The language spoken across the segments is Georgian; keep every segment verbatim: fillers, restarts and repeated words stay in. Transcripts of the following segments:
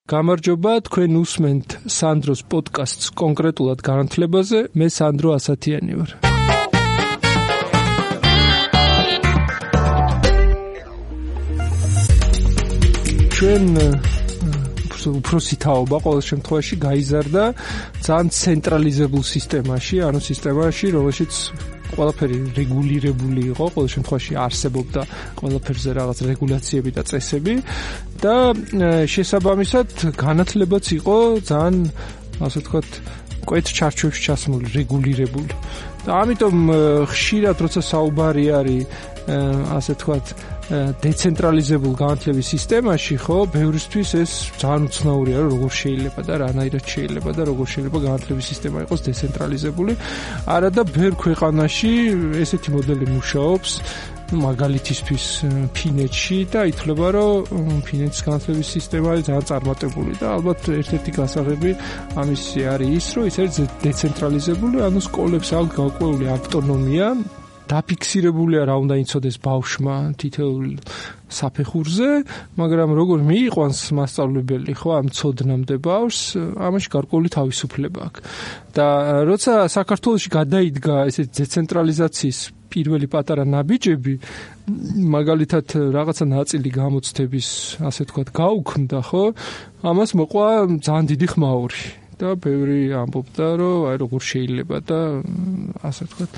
გამარჯობა, თქვენ უსმენთ სანდროს პოდკასტს კონკრეტულად განათლებაზე, მე სანდრო ასათიანი ვარ. ჩვენ უпроსი თაობა ყოველ შემთხვევაში გაიზარდა ძალიან ცენტრალიზებულ სისტემაში, ანუ სისტემაში, რომელშიც ყველაფერი რეგულირებული იყო, ყოველ შემთხვევაში არსებობდა ყველაფერზე რაღაც რეგულაციები და წესები და შესაბამისად განათლებაც იყო ძალიან, ასე ვთქვათ, კვეთ ჩარჩოებში ჩასმული, რეგულირებული. და ამიტომ ხშირად როცა საუბარი არის, ასე ვთქვათ, დეცენტრალიზებულ განათლების სისტემაში, ხო, ბევრისთვის ეს ძალიან უცნაურია, რომ როგორ შეიძლება და რანაირად შეიძლება და როგორ შეიძლება განათლების სისტემა იყოს დეცენტრალიზებული. არა და ბევრ ქვეყანაში ესეთი მოდელი მუშაობს, მაგალითისთვის ფინეთში და ითვლება, რომ ფინეთის განათლების სისტემა არის ძალიან წარმატებული და ალბათ ერთ-ერთი გასაღები ამისი არის ის, რომ ის არის დეცენტრალიზებული, ანუ სკოლებს აქვს გაკვეული ავტონომია. დაფიქსირებულია რა უნდა იცოდეს ბავშვმა თითოეულ საფეხურზე, მაგრამ როგორ მიიყვანს მასწავლებელი, ხო, ამ ცოდნამდე ბავშვს, ამაში გარკვეული თავისუფლება აქვს. და როცა საქართველოში გადაიდგა ესეთი დეცენტრალიზაციის პირველი პატარა ნაბიჯები, მაგალითად რაღაცა ნაწილი გამოცდების, ასე ვთქვათ, გაუქმდა, ხო, ამას მოყვა ძალიან დიდი ხმაური. და ბევრი ამბობდა, რომ აი როგორ შეიძლება და ასე ვთქვათ,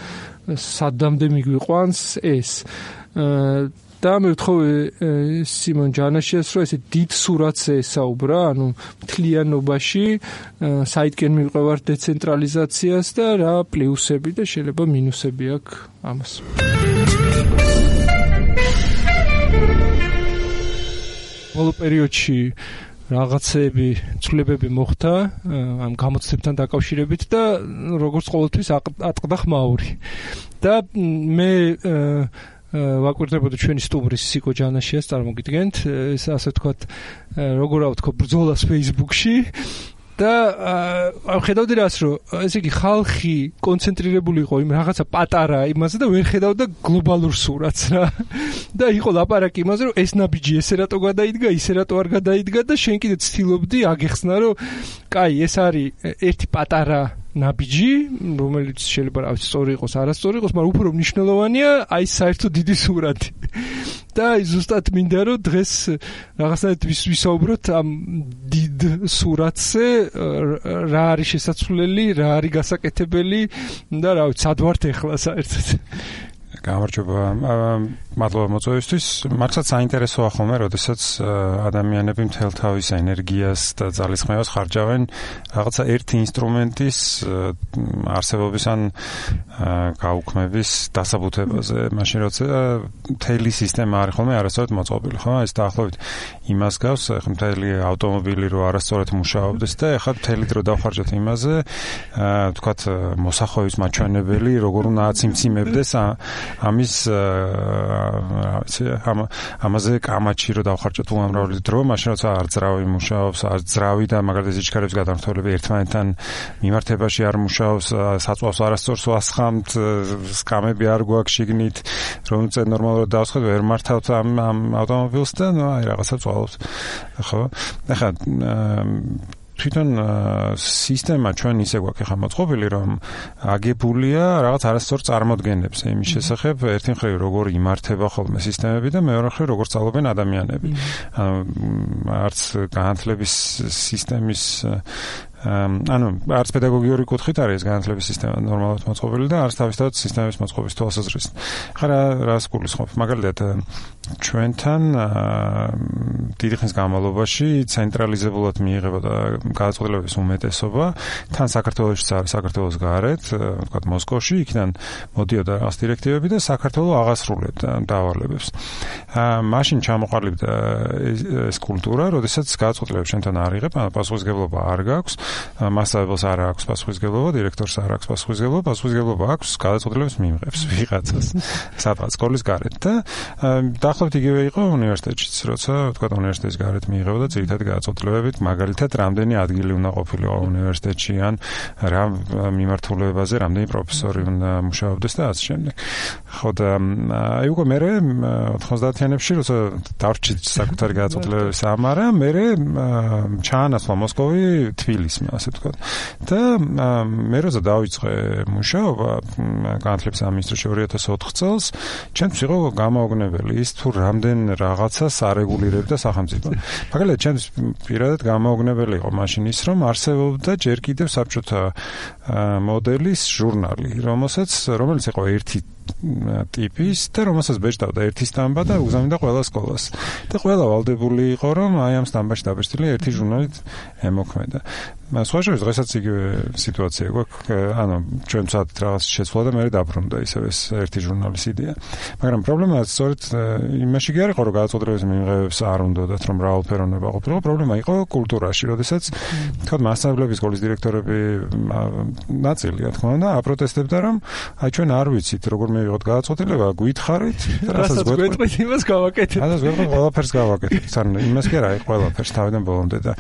სადამდე მიგვიყვანს ეს. და მე ვთხოვე სიმონ ჯანაშიას, რომ ესე დიდ სურათს ესაუბრა, ანუ მთლიანობაში საიდკენ მივყევარ დეცენტრალიზაციას და რა პლუსები და შეიძლება მინუსები აქვს ამას. ბოლო პერიოდში რაღაცები, ცვლილებები მოხდა ამ გამოცდებთან დაკავშირებით და როგორც ყოველთვის ატყდა ხმაური. და მე ვაკვირდებოდი ჩვენი სტუმრის სიკო ჯანაშიას, წარმოგიდგენთ, ეს ასე ვთქვათ, როგორ ავთქო, ბრძოლას Facebook-ში და ხედავდი რას, რომ ესე იგი ხალხი კონცენტრირებული იყო იმ რაღაცა პატარა იმაზე და ვერ ხედავდა გლობალურ სურათს რა. და იყო ლაპარაკი იმაზე, რომ ეს ნაბიჯი ესე რატო გადაიდგა, ისე რატო არ გადაიდგა და შენ კიდე ცდილობდი აგეხსნა, რომ კაი, ეს არის ერთი პატარა ნაბიჯი, რომელიც შეიძლება რა ვიცი, სწორი იყოს, არასწორი იყოს, მაგრამ უფრო მნიშვნელოვანია აი საერთოდ დიდი სურათი. და ზუსტად მინდა რომ დღეს რაღაცნაირად ვისაუბროთ ამ დიდ სურათზე, რა არის შესაძლებელი, რა არის გასაკეთებელი და რა ვიცი, სად ვართ ახლა საერთოდ. გამარჯობა. მადლობა მოწვევისთვის. მართლაც საინტერესოა ხოლმე, როდესაც ადამიანები მთელ თავის ენერგიას და ძალისხმევას ხარჯავენ რაღაცა ერთი ინსტრუმენტის არსებობის ან გაუქმების დასაბუთებაზე. მაშინ როცა მთელი სისტემა არის ხოლმე არასწორად მოწყობილი, ხო? ეს დაახლოებით იმას გავს, ახლა მთელი ავტომობილი რო არასწორად მუშაობდეს და ახლა მთელი დრო დავხარჯოთ იმაზე, ვთქვათ, მოსახვევის მაჩვენებელი, როგორ უნდა აციმციმებდეს ამის რა ვიცი, ამაზე კამაჩი რო დავხარჯოთ უამრავი დრო, მაშინ როცა არ ძრავი მუშაობს, არ ძრავი და მაგალითად სიჩქარების გადამრთველები ერთმანეთთან მიმართებაში არ მუშაობს, საწვავს არასწორს ვასხამთ, სკამები არ გვაქვს შიგნით, რომ წე ნორმალურად დავსხოთ, ვერ მართავთ ამ ამ ავტომობილს და ნუ აი რაღაცა წვალობს. ხო? ახლა თვითონ სისტემა ჩვენ ისე გვაქვს ახლა მოწყობილი, რომ აგებულია რაღაც არასწორ წარმოდგენებზე იმის შესახებ, ერთი მხრივ როგორ იმართება ხოლმე სისტემები და მეორე მხრივ როგორ სწავლობენ ადამიანები. ანუ არც განათლების სისტემის ანუ არც პედაგოგიური კუთხით არის განათლების სისტემა ნორმალურად მოწყობილი და არც თავისთავად სისტემის მოწყობის თვალსაზრისით. ხა რა რას გულისხმობ? მაგალითად ჩვენთან დიდი ხნის განმავლობაში ცენტრალიზებულად მიიღებოდა გადაწყვეტილებების უმეტესობა, თან საქართველოშიც არის, საქართველოს გარეთ, ვთქვათ მოსკოვში, იქიდან მოდიოდა რაღაც დირექტივები და საქართველო აღასრულებდა დავალებებს. მაშინ ჩამოყალიბდა ეს კულტურა, როდესაც გადაწყვეტილებებს ჩვენთან არ იღებ, ანუ პასუხისმგებლობა არ გაქვს. მასწავლებელს არ აქვს პასუხისმგებლობა, დირექტორს არ აქვს პასუხისმგებლობა, პასუხისმგებლობა აქვს გადაწყვეტილებებს მიიღებს ვიღაცას სადღაც სკოლის გარეთ და დაახლოებით იგივე იყო უნივერსიტეტშიც, როცა თქვა უნივერსიტეტის გარეთ მიიღებოდა ძირითადი გადაწყვეტილებებით, მაგალითად, რამდენი ადგილი უნდა ყოფილიყო უნივერსიტეტში ან რა მიმართულებაზე რამდენი პროფესორი უნდა მუშაობდეს და ასე შემდეგ. ხო და აი უკვე მე ოთხმოცდაათიანებში როცა დავრჩით საკუთარი გადაწყვეტილებების ამარა, მე ჩაანაცვლა მოსკოვი თბილისმა, ასე ვთქვათ. და მე როცა დავიწყე მუშაობა განათლების სამინისტროში ორი ათას ოთხ წელს, ჩემთვის იყო გამაოგნებელი ის თუ რამდენ რაღაცას არეგულირებდა სახელმწიფო. მაგალითად, ჩემთვის პირადად გამაოგნებელი იყო მაშინ ის, რომ არსებობდა ჯერ კიდევ საბჭოთა მოდელის ჟურნალი, რომელსაც რომელიც იყო ერთი ტიპის და რომელსაც ბეჭდავდა ერთი სტამბა და უგზავნიდა ყველა სკოლას. და ყველა ვალდებული იყო, რომ აი ამ სტამბაში დაბეჭდილი ერთი ჟურნალით ემოქმედა. სხვა შორის დღესაც იგივე სიტუაცია გვაქვს, ანუ ჩვენ ვცადეთ რაღაც შეცვლა და მე დაბრუნდა ისევ ეს ერთი ჟურნალის იდეა. მაგრამ პრობლემა სწორედ იმაში კი არ იყო, რომ გადაწყვეტილებების მიღებებს არ უნდათ, რომ მრავალფეროვნება ყოფილიყო, პრობლემა იყო კულტურაში, როდესაც თქვა მასწავლებლების სკოლის დირექტორები ნაწილი, რა თქმა უნდა, აპროტესტებდა, რომ აი ჩვენ არ ვიცით, როგორ მივიღოთ გადაწყვეტილება, გვითხარით, რასაც გვეტყვით, იმას გავაკეთეთ. რასაც გვეტყვით, ყველაფერს გავაკეთეთ. ან იმას კი არა, ყველაფერს თავიდან ბოლომდე და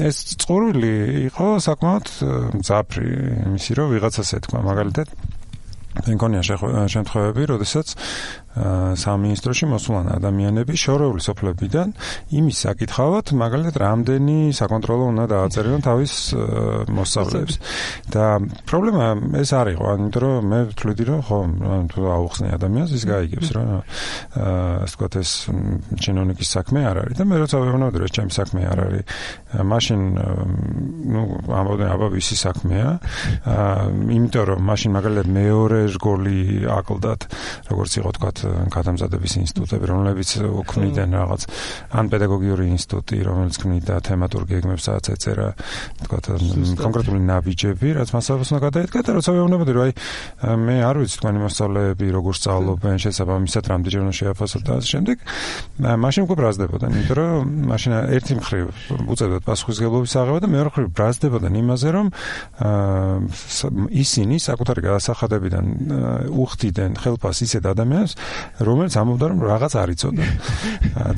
ეს წყურვილი იყო საკმაოდ მძაფრი იმისი, რომ ვიღაცას ეთქვა, მაგალითად მეკონია შემთხვევები, როდესაც სამინისტროში მოსულან ადამიანები შორეული სოფლებიდან იმის საკითხავად, მაგალითად, რამდენი საკონტროლო უნდა დააწერონ თავის მოსწავლეებს. და პრობლემა ეს არ იყო, იმიტომ რომ მე ვთვლიდი, რომ ხო, თუ აუხსნე ადამიანს, ის გაიგებს, რომ ასე ვთქვათ, ეს ჩინოვნიკის საქმე არ არის. და მე როცა ვეუბნებოდი, რომ ეს ჩემი საქმე არ არის, მაშინ ნუ ამბობდნენ, აბა ვისი საქმეა, იმიტომ რომ მაშინ მაგალითად მეორე რგოლი აკლდათ, როგორც იყო თქვათ გადამზადების ინსტიტუტები, რომლებიც უქმნიდნენ რაღაც ან პედაგოგიური ინსტიტუტი, რომელიც ქმნიდა თემატურ გეგმებსაც ეწერა, თქვათ კონკრეტული ნაბიჯები, რაც მასწავლებლებს უნდა გადაედგა და როცა ვეუბნებოდი, რომ აი მე არ ვიცი თქვენი მოსწავლეები როგორ სწავლობენ, შესაბამისად რამდენჯერ უნდა შეაფასოთ და ასე შემდეგ, მაშინ უკვე ბრაზდებოდნენ, იმიტომ რომ მაშინ ერთი მხრივ უწევდათ პასუხისმგებლობის აღება და მეორე მხრივ ბრაზდებოდნენ იმაზე, რომ ისინი საკუთარი გადასახადებიდან უხდიდნენ ხელფას ისეთ ადამიანებს, რომელიც ამბობდა, რომ რაღაც არ იცოდა.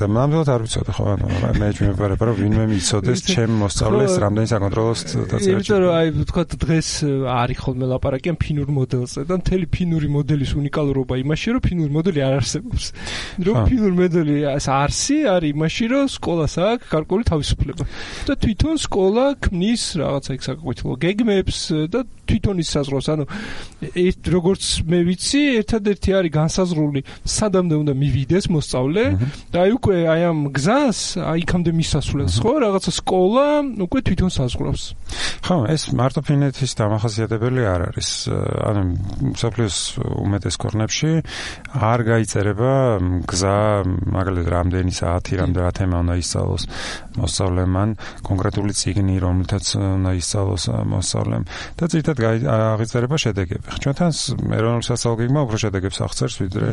და ნამდვილად არ ვიცოდა, ხო, ანუ მე მეფარება, რომ ვინმე მიცოდეს ჩემ მოსწავლეს რამდენი საკონტროლოს დაწერა. იმიტომ რომ აი ვთქვათ დღეს არის ხოლმე ლაპარაკი ამ ფინურ მოდელზე და მთელი ფინური მოდელის უნიკალურობა იმაში, რომ ფინური მოდელი არ არსებობს. რომ ფინური მოდელი არსი არის იმაში, რომ სკოლას აქვს გარკვეული თავისუფლება. და თვითონ სკოლა ქმნის რაღაცა იქ საკუთრივ გეგმებს და თვითონ ის საზღვრავს. ანუ როგორც მე ვიცი, ერთადერთი არის განსაზღვრული სადამდე უნდა მივიდეს მოსწავლე და აი უკვე აი ამ გზას აი იქამდე მისასვლელს ხო რაღაცა სკოლა უკვე თვითონ საზღვრავს. ხო, ეს მარტო ფინეთის დამახასიათებელი არ არის. ანუ მსოფლიოს უმეტეს ქვეყნებში არ გაიწერება გზა, მაგალითად რამდენი საათი, რამდენი თემა უნდა ისწავლოს მოსწავლემ, კონკრეტული წიგნი, რომელთაც უნდა ისწავლოს მოსწავლემ და ძირითადად აღიწერება შედეგები. ჩვენთან ეროვნული სასწავლო გეგმა უფრო შედეგებს აღწერს ვიდრე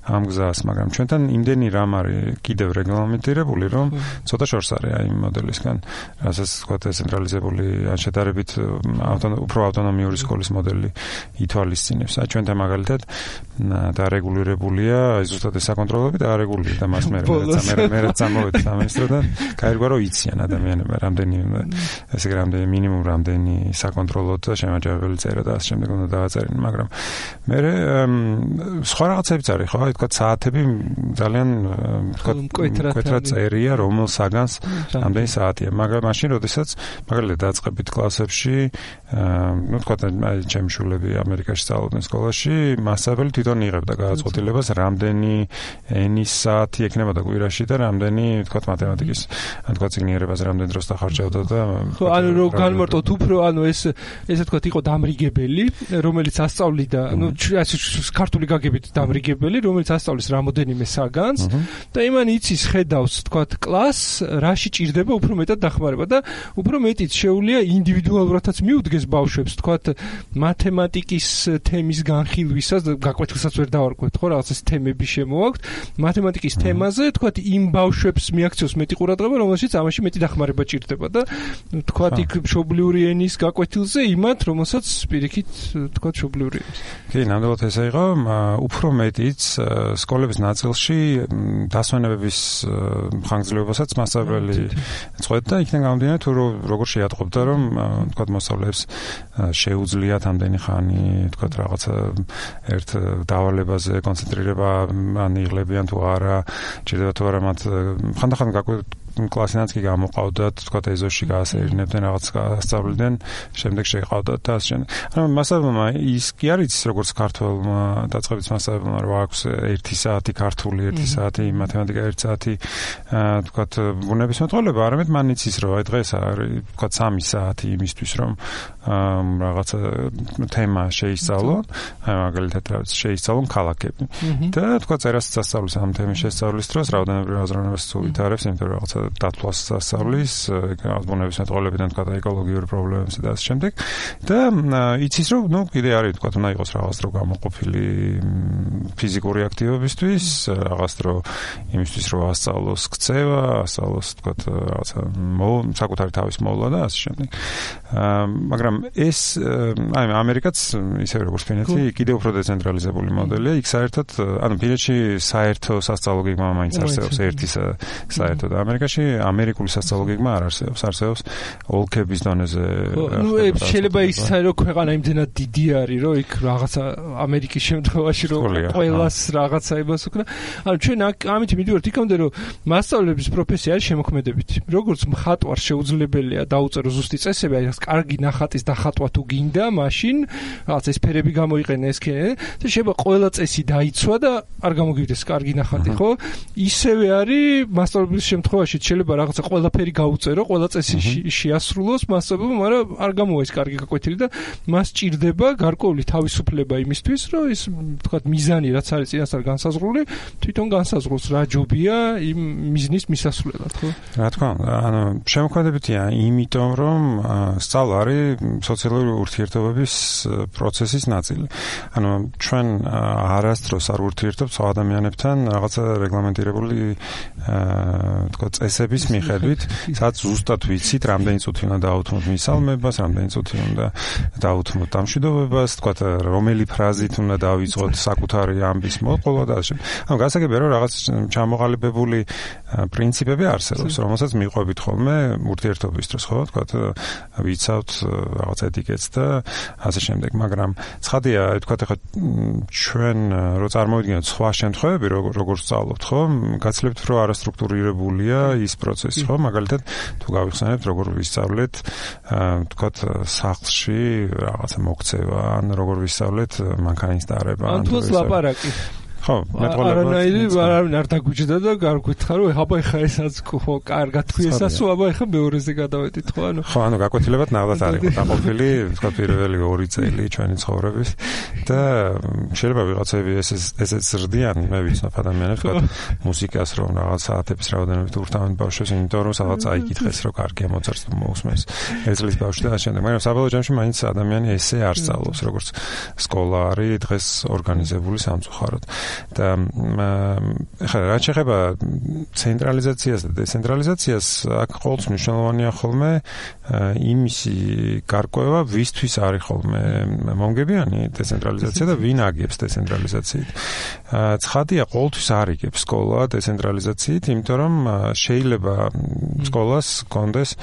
ამ გზას, მაგრამ ჩვენთან იმდენი რამ არის კიდევ რეგლამენტირებული, რომ ცოტა შორს არის აი იმ მოდელისგან, რასაც თქვა დეცენტრალიზებული ან შედარებით უფრო ავტონომიური სკოლის მოდელი ითვალისწინებს. აი ჩვენთან მაგალითად დარეგულირებულია აი ზუსტად ეს საკონტროლები და არეგულირდა და მას მე მე მე წამოვედი სამინისტროდან, გაირგვა რომ იციან ადამიანებმა რამდენი ესე რამდენი მინიმუმ რამდენი საკონტროლო და შემაჯამებელი წერა და ასე შემდეგ უნდა დააწერენ, მაგრამ მე სხვა რაღაცებიც არის, ხო, აი თქვა საათები ძალიან თქვა მკვეთრად წერია, რომელ საგანს რამდენი საათია, მაგრამ მაშინ როდესაც მაგალითად დაწყებით კლასებში, ну თქვა აი ჩემი შულები ამერიკაში სწავლობდნენ სკოლაში, მასწავლებელი თვითონ იღებდა გადაწყვეტილებას, რამდენი ენის საათი ექნებოდა კვირაში და რამდენი თქვა მათემატიკის, ან თქვა ციგნიერებას რამდენ დროს დახარჯავდა და ხო, ანუ რო განმარტოთ უფრო, ანუ ეს ესე თქვა იყო დამრიგებელი, რომელიც ასწავლიდა, ну ასე ქართული გაგებით დამრიგებელი, რომელიც ასწავლის რამოდენიმე საგანს და იმან იცის ხედავს, თქვა კლასს, რაში ჭირდება უფრო მეტად დახმარება და უფრო მეტიც შეუძლია ინდივიდუალურადაც მიუდგეს ბავშვებს, თქვა მათემატიკის თემის განხილვისას, გაკვეთილსაც ვერ დავარკვევთ, ხო, რაღაც ეს თემები შემოაქვთ, მათემატიკის თემაზე, თქვა იმ ბავშვებს მიაქციოს მეტი ყურადღება, რომელშიც ამაში მეტი დახმარება ჭირდება და თქვა იქ მშობლიური ენის გაკვეთილზე იმათ, რომელსაც პირიქით თქვა მშობლიური ენის. კი, ნამდვილად ესე იყო, უფრო მეტიც სკოლების ნაწილში დასვენებების ხანგრძლივობასაც მასწავლებელი წყვეტდა და იქიდან გამომდინარე თუ როგორ შეატყობდა რომ თქვა მოსწავლეებს შეუძლიათ ამდენი ხანი თქვა რაღაცა ერთ დავალებაზე კონცენტრირება ან იღლებიან თუ არა ჭირდება თუ არა მათ ხანდახან კლასიანაც კი გამოყავდათ, თქვა ეზოში გაასეირნებდნენ რაღაც გასწავლდნენ, შემდეგ შეყავდათ და ასე შემდეგ. ანუ მასწავლებელმა ის კი არ იცის როგორც ქართველმა დაწყებით მასწავლებელმა რომ აქვს ერთი საათი ქართული, ერთი საათი მათემატიკა, ერთი საათი თქვა ბუნების მეტყველება, არამედ მან იცის რომ აი დღეს არის თქვა სამი საათი იმისთვის რომ რაღაცა თემა შეისწავლონ, აი მაგალითად რაღაც შეისწავლონ ქალაქები. და თქვა წერას სასწავლის ამ თემის შესწავლის დროს რაოდენობრივ აზროვნებას უვითარებს, იმიტომ რომ რაღაცა დათვლას სასწავლის, ბუნების მეტყველებიდან თქვა ეკოლოგიური პრობლემებსა და ასე შემდეგ. და იცის რომ ნუ კიდე არის თქვა უნდა იყოს რაღაც დრო გამოყოფილი ფიზიკური აქტივობისთვის, რაღაც დრო იმისთვის რომ ასწავლოს ქცევა, ასწავლოს თქვა რაღაცა საკუთარი თავის მოვლა და ასე შემდეგ. მაგრამ ეს აი ამერიკაც ისე როგორც ფინეთი კიდევ უფრო დეცენტრალიზებული მოდელია, იქ საერთოდ ანუ ფინეთში საერთო სასწავლო გეგმა მაინც არსებობს ერთი საერთო და ამერიკაში ამერიკული სასწავლო გეგმა არ არსებობს, არსებობს ოლქების დონეზე. ნუ შეიძლება ის რომ ქვეყანა იმდენად დიდი არის, რომ იქ რაღაცა ამერიკის შემთხვევაში რომ ყველას რაღაცა იმას უკნა. ანუ ჩვენ ამით მივიდივართ იქამდე რომ მასწავლებლების პროფესია არის შემოქმედებითი. როგორც მხატვარს შეუძლებელია დაუწერო ზუსტი წესები, აი ეს კარგი ნახატის დახატვა თუ გინდა, მაშინ რაღაც ეს ფერები გამოიყენე ეს კენე და შეიძლება ყველა წესი დაიცვა და არ გამოგივიდეს კარგი ნახატი, ხო? ისევე არის მასწავლებლის შემთხვევაში შეიძლება რაღაცა ყველაფერი გაუწერო, ყველა წესი შეასრულოს მასწავლებელმა, მაგრამ არ გამოვა ეს კარგი გაკვეთილი და მას ჭირდება გარკვეული თავისუფლება იმისთვის, რომ ის თქვა მიზანი რაც არის წინასწარ განსაზღვრული, თვითონ განსაზღვროს რა ჯობია იმ მიზნის მისასვლელად, ხო? რა თქმა უნდა, ანუ შემოქმედებითია, იმიტომ რომ სწავლა არის სოციალური ურთიერთობების პროცესის ნაწილი. ანუ ჩვენ არასდროს არ ურთიერთობთ სხვა ადამიანებთან რაღაცა რეგლამენტირებული თქვა წესების მიხედვით, სადაც ზუსტად ვიცით, რამდენი წუთი უნდა დაუთმოთ მისალმებას, რამდენი წუთი უნდა დაუთმოთ დამშვიდობებას, თქვა რომელი ფრაზით უნდა დავიწყოთ საკუთარი ამბის მოყოლა და ასე. ანუ გასაგებია რომ რაღაც ჩამოყალიბებული პრინციპები არსებობს, რომელსაც მიყვებით ხოლმე ურთიერთობის დროს, ხო? თქვა ვიცავთ რაღაც ეტიკეტს და ასე შემდეგ, მაგრამ ცხადია, თქვა ახლა ჩვენ რო წარმოვიდგინოთ სხვა შემთხვევები, როგორ სწავლობთ, ხო? გაცლებთ რომ არასტრუქტურირებულია ის პროცესი, ხო? მაგალითად, თუ გავიხსენებთ, როგორ ვისწავლეთ, თქვა სახლში რაღაცა მოქცევა, ან როგორ ვისწავლეთ მანქანის დარება, ან თუ ლაპარაკი. ხო, მეტყველება. არანაირი არავინ არ დაგუჯდა და გარკვეთხა რომ აბა ეხა ესაც ხო, კარგად თქვი ესასო, აბა ეხა მეორეზე გადავედით, ხო, ანუ. ხო, ანუ გაკვეთილებად ნახდათ არის დაყოფილი, თქვა პირველი ორი წელი ჩვენი ცხოვრების და შეიძლება ვიღაცები ესეც ზრდიან, მე ვიცნობ ადამიანებს, თქვა მუსიკას რომ რაღაც საათების რაოდენობით ურთავენ ბავშვებს, იმიტომ რომ სადღაც აიკითხეს რომ კარგია მოცარტს მოусმეს. ეძლის ბავშვი და ასე შემდეგ. მაგრამ საბოლოო ჯამში მაინც ადამიანი ესე არ სწავლობს, როგორც სკოლა არის დღეს ორგანიზებული სამწუხაროდ. და ხა რა შეეხება ცენტრალიზაციას და დეცენტრალიზაციას, აქ ყოველთვის მნიშვნელოვანია ხოლმე იმისი გარკვევა, ვისთვის არის ხოლმე მომგებიანი დეცენტრალიზაცია და ვინ აგებს დეცენტრალიზაციით. ცხადია, ყოველთვის არ იგებს სკოლა დეცენტრალიზაციით, იმიტომ რომ შეიძლება სკოლას კონდეს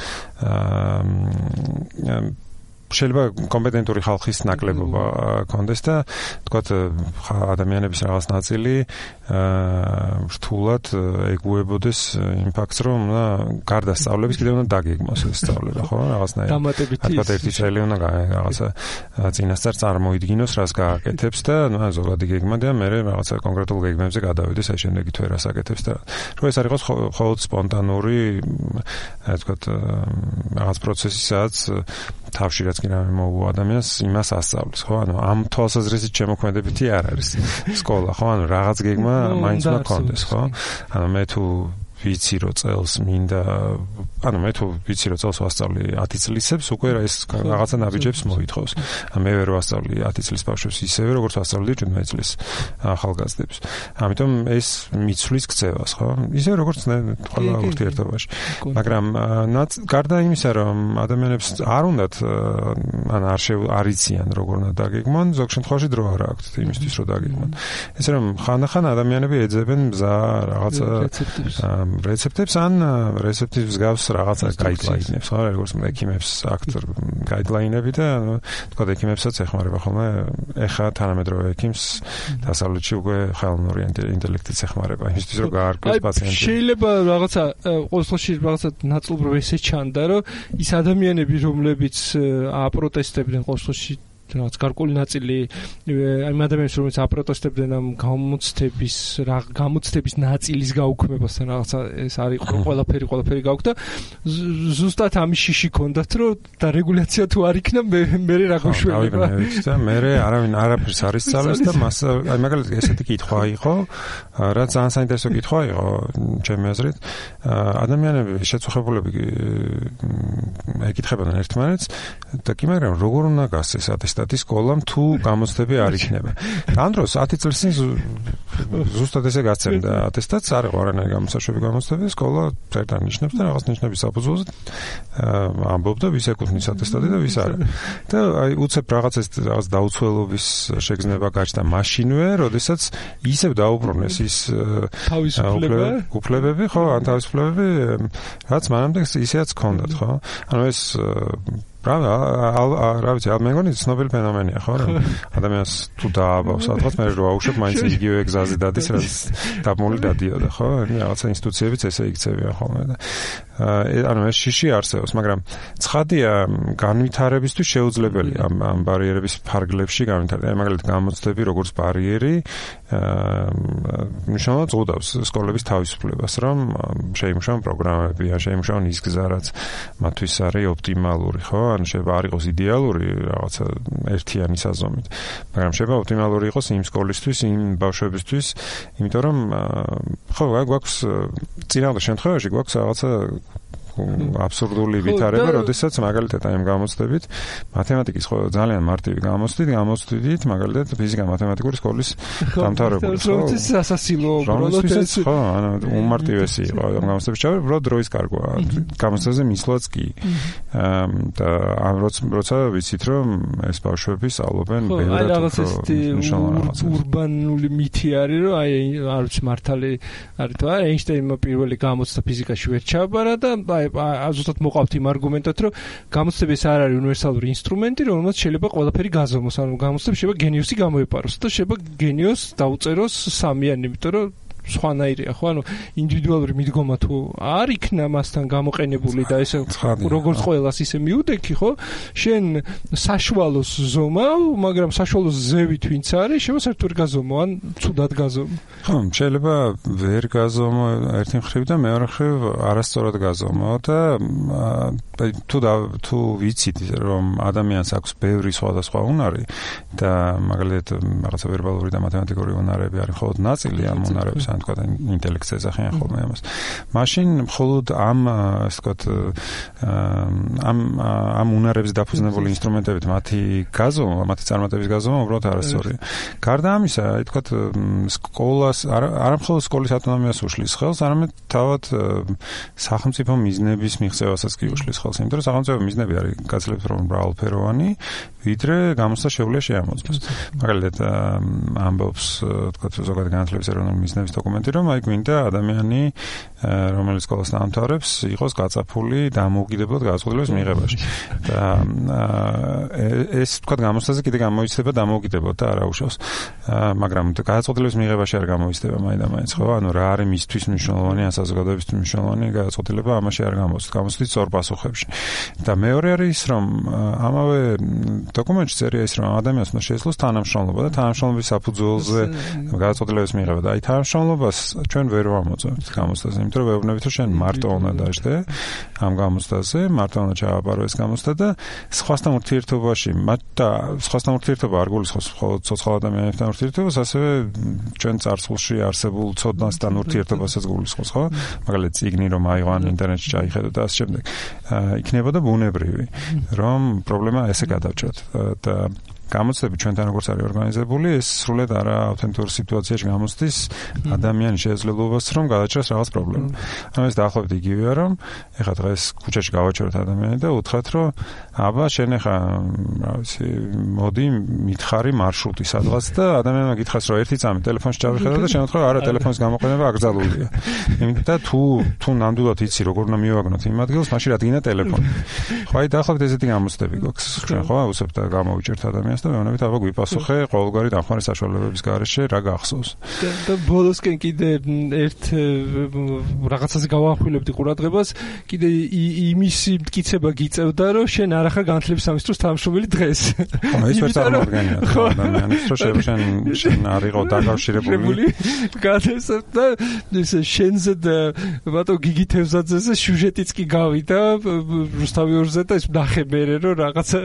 შეიძლება კომპეტენტური ხალხის ნაკლებობა კონდეს და თქვათ ადამიანების რაღაც ნაწილი რთულად ეგუებოდეს იმ ფაქტს, რომ უნდა გარდა სწავლების კიდევ უნდა დაგეგმოს ეს სწავლება, ხო? რაღაცნაირად. თქვათ ერთი წელი უნდა რაღაცა წინასწარ წარმოიდგინოს, რას გააკეთებს და ნუ ზოგადი გეგმა და მე რაღაცა კონკრეტულ გეგმებზე გადავიდეს, აი შემდეგი თუ რას აკეთებს და რომ ეს არ იყოს მხოლოდ სპონტანური, თქვათ რაღაც პროცესი, სადაც თავში რაც კი რამე მოუვა ადამიანს იმას ასწავლის, ხო? ანუ ამ თვალსაზრისით შემოქმედებითი არ არის სკოლა, ხო? ანუ რაღაც გეგმა მაინც უნდა კონდეს, ხო? ანუ მე თუ ვიცი რომ წელს მინდა ანუ მე თუ ვიცი რომ წელს ვასწავლი ათი წლისებს უკვე ეს რაღაცა ნაბიჯებს მოითხოვს. მე ვერ ვასწავლი ათი წლის ბავშვებს ისევე როგორც ვასწავლდი შვიდმეტი წლის ახალგაზრდებს. ამიტომ ეს მიცვლის ქცევას, ხო? ისევე როგორც ყველა ურთიერთობაში. მაგრამ გარდა იმისა რომ ადამიანებს არ უნდათ ან არ არ იციან როგორ უნდა დაგეგმონ, ზოგ შემთხვევაში დრო არ აქვთ იმისთვის რომ დაგეგმონ. ესე რომ ხანდახან ადამიანები ეძებენ მზა რაღაცა რეცეპტებს ან რეცეპტის მსგავს რაღაცა გაიდლაინებს, ხო, როგორც ექიმებს აქვთ გაიდლაინები და ანუ თქვა ექიმებსაც ეხმარება ხოლმე ეხა თანამედროვე ექიმს დასავლეთში უკვე ხელოვნური ინტელექტით ეხმარება იმისთვის რომ გაარკვეს პაციენტი. შეიძლება რაღაცა ყოველ შემთხვევაში რაღაცა ნაწილობრივ ესე ჩანდა რომ ის ადამიანები რომლებიც აპროტესტებდნენ ყოველ შემთხვევაში რაც გარკვეული ნაწილი ამ ადამიანებს რომელიც აპროტესტებდნენ ამ გამოცდების რა გამოცდების ნაწილის გაუქმებასთან რაღაცა ეს არის ყველაფერი ყველაფერი გაუქმდა ზუსტად ამის შიში ქონდათ რომ და რეგულაცია თუ არ იქნა მე მე რა გვშვება და მე არავინ არაფერს არ ისწავლეს და მას აი მაგალითად ესეთი კითხვა იყო რა ძალიან საინტერესო კითხვა იყო ჩემი აზრით ადამიანები შეწუხებულები ეკითხებოდნენ ერთმანეთს და კი მაგრამ როგორ უნდა გასცეს ატესტატი სკოლამ თუ გამოცდები არ იქნება. ამ დროს ათი წლის წინ ზუსტად ესე გაცემდა ატესტატს არ იყო არანაირი გამოსაშვები გამოცდები სკოლა წერდა ნიშნებს და რაღაც ნიშნების საფუძველზე ამბობდა ვის ეკუთვნის ატესტატი და ვის არა. და აი უცებ რაღაცას რაღაც დაუცველობის შეგრძნება გაჩნდა მაშინვე, როდესაც ისევ დაუბრუნეს ის უფლებები, ხო, ან თავისუფლებები, რაც მანამდე ისეაც ჰქონდათ, ხო? ანუ ეს Pravda, რა ვიცი, მე მგონი ცნობილი ფენომენია, ხო? ადამიანს თუ დააბავს, სადღაც მე რო აუშვებ, მაინც იგივე გზაზე დადის, რაც დაბმული დადიოდა, ხო? რაღაცა ინსტიტუციებიც ესე იქცევიან ხოლმე და ანუ ეს შიში არსებობს, მაგრამ ცხადია განვითარებისთვის შეუძლებელი ამ ამ ბარიერების ფარგლებში განვითარება. აი მაგალითად გამოცდები როგორც ბარიერი მნიშვნელოვნად ზღუდავს სკოლების თავისუფლებას, რომ შეიმუშაონ პროგრამები, ან შეიმუშაონ ის გზა, რაც მათთვის არის ოპტიმალური, ხო? ან შეიძლება არ იყოს იდეალური რაღაცა ერთიანი საზომით, მაგრამ შეიძლება ოპტიმალური იყოს იმ სკოლისთვის, იმ ბავშვებისთვის, იმიტომ რომ ხო, გვაქვს წინააღმდეგ შემთხვევაში გვაქვს რაღაცა აბსურდული ვითარება, როდესაც მაგალითად აი ამ გამოცდებით მათემატიკის ხო ძალიან მარტივი გამოცდით, გამოცდით მაგალითად ფიზიკა-მათემატიკური სკოლის დამთავრებული, ხო? რომელიც ასასილო პროცესი, ხო, ანუ უმარტივესი იყო ამ გამოცდების ჩავე, უბრალოდ დროის კარგვა. გამოცდაზე მისვლაც კი. და ამ როცა ვიცით რომ ეს ბავშვები სწავლობენ ბევრად უფრო ურბანული მითი არის, რომ აი არ ვიცი მართალი არის თუ არა, ეინშტეინმა პირველი გამოცდა ფიზიკაში ვერ ჩააბარა და ზუსტად მოყავთ იმ არგუმენტად, რომ გამოცდები ეს არ არის უნივერსალური ინსტრუმენტი, რომელმაც შეიძლება ყველაფერი გაზომოს, ანუ გამოცდები შეიძლება გენიოსი გამოეპაროს და შეიძლება გენიოსს დაუწეროს სამიანი, იმიტომ რომ სხვანაირია, ხო? ანუ ინდივიდუალური მიდგომა თუ არ იქნა მასთან გამოყენებული და ესე როგორც ყველას ისე მიუდექი, ხო? შენ საშუალოს ზომავ, მაგრამ საშუალოს ზევით ვინც არის, შეიძლება საერთოდ ვერ გაზომო, ან ცუდად გაზომო. ხო, შეიძლება ვერ გაზომო ერთი მხრივ და მეორე მხრივ არასწორად გაზომო და თუ თუ ვიცით რომ ადამიანს აქვს ბევრი სხვადასხვა უნარი და მაგალითად რაღაცა ვერბალური და მათემატიკური უნარები არის მხოლოდ ნაწილი ამ უნარების ან თქვა ინტელექტს ეძახიან ხოლმე ამას. მაშინ მხოლოდ ამ ასე ვთქვათ ამ ამ უნარებზე დაფუძნებული ინსტრუმენტებით მათი გაზომა, მათი წარმატების გაზომა უბრალოდ არასწორია. გარდა ამისა, აი თქვა სკოლას არა მხოლოდ სკოლის ავტონომიას უშლის ხელს, არამედ თავად სახელმწიფო მიზნების მიღწევასაც კი უშლის ხელს, იმიტომ რომ სახელმწიფო მიზნები არის გაცილებით რომ მრავალფეროვანი, ვიდრე გამოცდა შეუძლია შეამოწმოს. მაგალითად ამბობს თქვა ზოგადად განათლების ეროვნული მიზნების დოკუმენტი, რომ აი გვინდა ადამიანი, რომელიც სკოლას დაამთავრებს, იყოს გაწაფული დამოუკიდებლად გადაწყვეტილების მიღებაში. და ეს თქვა გამოცდაზე კიდე გამოიცდება დამოუკიდებლად და არა უშავს. მაგრამ გადაწყვეტილების მიღებაში არ გამოიცდება მაინდა-მაინც, ხო? ანუ რა არის მისთვის მნიშვნელოვანი, ან საზოგადოებისთვის მნიშვნელოვანი გადაწყვეტილება ამაში არ გამოცდის. გამოცდის სწორ პასუხებში. და მეორე არის ის, რომ ამავე დოკუმენტში წერია ის, რომ ადამიანს უნდა შეეძლოს თანამშრომლობა და თანამშრომლობის საფუძველზე გადაწყვეტილების მიღება. და აი თანამშრომლობა შეძლებლობას ჩვენ ვერ ვამოწევთ გამოცდაზე, იმიტომ რომ ვეუბნებით რომ შენ მარტო უნდა დაждე ამ გამოცდაზე, მარტო უნდა ჩააბარო ეს გამოცდა და სხვასთან ურთიერთობაში, მათ და სხვასთან ურთიერთობა არ გულისხმობს მხოლოდ ცოცხალ ადამიანებთან ურთიერთობას, ასევე ჩვენ წარსულში არსებულ ცოდნასთან ურთიერთობასაც გულისხმობს, ხო? მაგალითად, წიგნი რომ აიღო, ინტერნეტში ჩაიხედო და ასე შემდეგ. იქნებოდა ბუნებრივი, რომ პრობლემა ესე გადავჭრათ და გამოცდები ჩვენთან როგორც არის ორგანიზებული, ეს სრულად არა ავთენტურ სიტუაციაში გამოცდის ადამიანის შესაძლებლობას, რომ გადაჭრას რაღაც პრობლემა. ანუ ეს დაახლოებით იგივეა, რომ ეხლა დღეს ქუჩაში გავაჩეროთ ადამიანი და უთხრათ, რომ აბა შენ ეხლა, რა ვიცი, მოდი მითხარი მარშრუტი სადღაც და ადამიანმა გითხრას, რომ ერთი წამი ტელეფონში ჩავიხედო და შენ უთხრა, არა, ტელეფონის გამოყენება აკრძალულია. იმიტომ და თუ თუ ნამდვილად იცი, როგორ უნდა მივაგნოთ იმ ადგილს, მაშინ რადგინა ტელეფონი. ხო, აი დაახლოებით ესეთი გამოცდები გვაქვს. ჩვენ ხო აუცილებლად და გამოვიჭერთ ადამიანს და მეუბნებით აბა გვიპასუხე ყოველგვარი დახმარის საშუალებების გარეშე რა გახსოვს. და ბოლოსკენ კიდე ერთ რაღაცაზე გავახვილებდი ყურადღებას, კიდე იმის მტკიცება გიწევდა, რომ შენ არ ახარ განათლების სამინისტროს თანამშრომელი დღეს. ხო, ეს ვერ წარმოადგენია ადამიანის, რომ შენ შენ არ იყო დაკავშირებული. გადასწრებ და ეს შენზე და ბატონ გიგი თევზაძეზე სიუჟეტიც კი გავიდა რუსთავი ორზე და ეს ნახე მერე რომ რაღაცა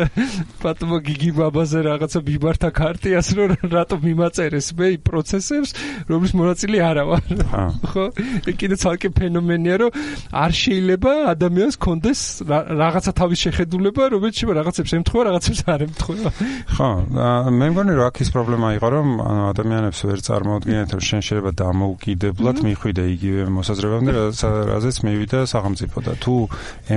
ბატონო გიგი ბაბაზე რაღაცა მიმართა ქარტიას რომ რატომ მიმაწერეს მე იმ პროცესებს რომლის მონაწილე არა ვარ. ხო? კიდე ცალკე ფენომენია რომ არ შეიძლება ადამიანს კონდეს რაღაცა თავის შეხედულება რომელიც რაღაცებს ემთხვევა რაღაცებს არ ემთხვევა. ხო, მე მგონი რომ აქ ის პრობლემა იყო რომ ადამიანებს ვერ წარმოუდგენიათ რომ შენ შეიძლება დამოუკიდებლად მიხვიდე იგივე მოსაზრებამდე რაზეც მივიდა სახელმწიფო და თუ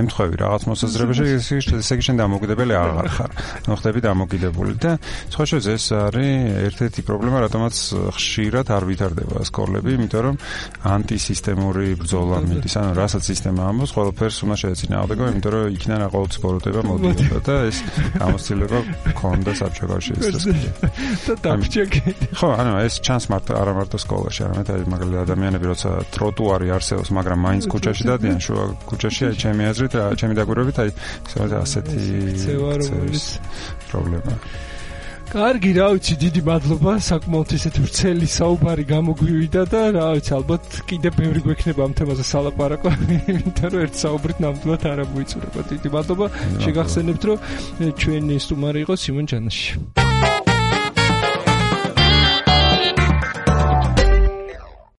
ემთხვევი რაღაც მოსაზრებაში ესე იგი შენ დამოუკიდებელი აღარ ხარ. ნუ ხდები დამოუკიდებული და სხვა შეძ ეს არის ერთ-ერთი პრობლემა რატომაც ხშირად არ ვითარდება სკოლები, იმიტომ რომ ანტისისტემური ბრძოლა მიდის, ანუ რასაც სისტემა ამბობს, ყველაფერს უნდა შეეწინააღმდეგო, იმიტომ რომ იქიდან აყოლოდ სპორტება მოდიოდა და ეს გამოცდილება ქონდა საბჭოებში ეს. და დაფჭაკი. ხო, ანუ ეს ჩანს მარტო არა მარტო სკოლაში, არამედ აი მაგალითად ადამიანები როცა ტროტუარი არსებობს, მაგრამ მაინც ქუჩაში დადიან, შუა ქუჩაში, აი ჩემი აზრით, ჩემი დაკვირვებით, აი ასეთი პრობლემა. კარგი, რა ვიცი, დიდი მადლობა, საკმაოდ ისეთი ვრცელი საუბარი გამოგვივიდა და რა ვიცი, ალბათ კიდე ბევრი გვექნება ამ თემაზე სალაპარაკო, იმიტომ რომ ერთ საუბრით ნამდვილად არ მოიწურება. დიდი მადლობა, შეგახსენებთ, რომ ჩვენი სტუმარი იყო სიმონ ჯანაში.